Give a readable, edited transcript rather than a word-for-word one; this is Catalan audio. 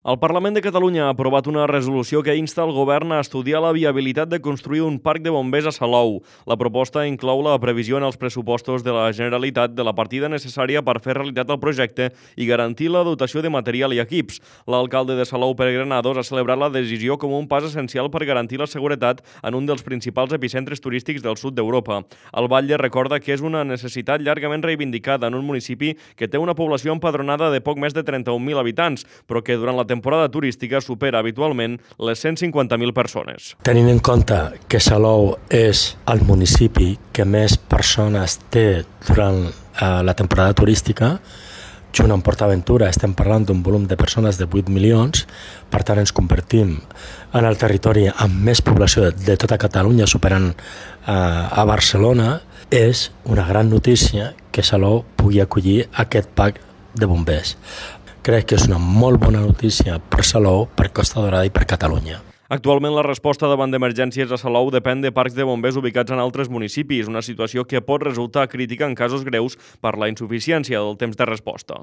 El Parlament de Catalunya ha aprovat una resolució que insta el govern a estudiar la viabilitat de construir un parc de bombers a Salou. La proposta inclou la previsió en els pressupostos de la Generalitat de la partida necessària per fer realitat el projecte i garantir la dotació de material i equips. L'alcalde de Salou, Pere Granados, ha celebrat la decisió com un pas essencial per garantir la seguretat en un dels principals epicentres turístics del sud d'Europa. El Batlle recorda que és una necessitat llargament reivindicada en un municipi que té una població empadronada de poc més de 31.000 habitants, però que durant la temporada turística supera habitualment les 150.000 persones. Tenint en compte que Salou és el municipi que més persones té durant la temporada turística, junt amb PortAventura estem parlant d'un volum de persones de 8 milions, per tant ens convertim en el territori amb més població de tota Catalunya, superant a Barcelona. És una gran notícia que Salou pugui acollir aquest parc de bombers. Crec que és una molt bona notícia per Salou, per Costa Daurada i per Catalunya. Actualment la resposta davant d'emergències a Salou depèn de parcs de bombers ubicats en altres municipis, una situació que pot resultar crítica en casos greus per la insuficiència del temps de resposta.